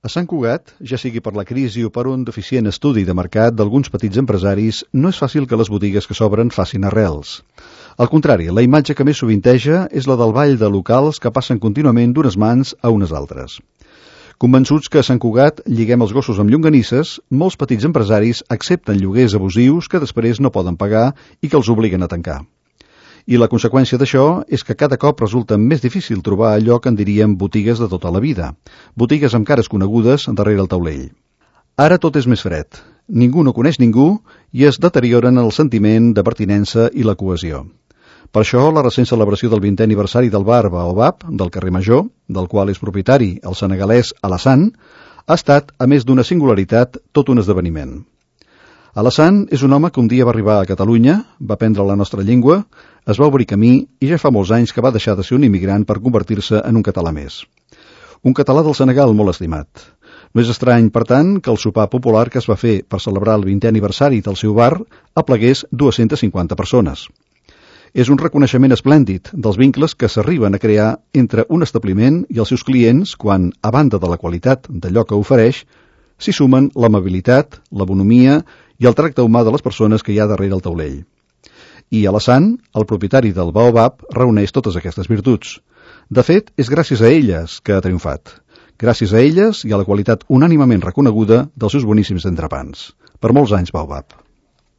A Sant Cugat, ja sigui per la crisi o per un deficient estudi de mercat d'alguns petits empresaris, no és fàcil que les botigues que s'obren facin arrels. Al contrari, la imatge que més sovinteja és la del ball de locals que passen contínuament d'unes mans a unes altres. Convençuts que a Sant Cugat lliguem els gossos amb llonganisses, molts petits empresaris accepten lloguers abusius que després no poden pagar i que els obliguen a tancar. I la conseqüència d'això és que cada cop resulta més difícil trobar allò que en diríem botigues de tota la vida, botigues amb cares conegudes darrere el taulell. Ara tot és més fred, ningú no coneix ningú i es deterioren el sentiment de pertinença i la cohesió. Per això, la recent celebració del 20è aniversari del bar Baobab, del carrer Major, del qual és propietari el senegalès Alassane, ha estat, a més d'una singularitat, tot un esdeveniment. Alassane és un home que un dia va arribar a Catalunya, va aprendre la nostra llengua, es va obrir camí i ja fa molts anys que va deixar de ser un immigrant per convertir-se en un català més. Un català del Senegal molt estimat. No és estrany, per tant, que el sopar popular que es va fer per celebrar el 20è aniversari del seu bar aplegués 250 persones. És un reconeixement esplèndid dels vincles que s'arriben a crear entre un establiment i els seus clients quan, a banda de la qualitat d'allò que ofereix, s'hi sumen l'amabilitat, la bonomia i el tracte humà de les persones que hi ha darrere el taulell. I Alassane, el propietari del Baobab, reuneix totes aquestes virtuts. De fet, és gràcies a elles que ha triomfat. Gràcies a elles i a la qualitat unànimement reconeguda dels seus boníssims entrepans. Per molts anys, Baobab.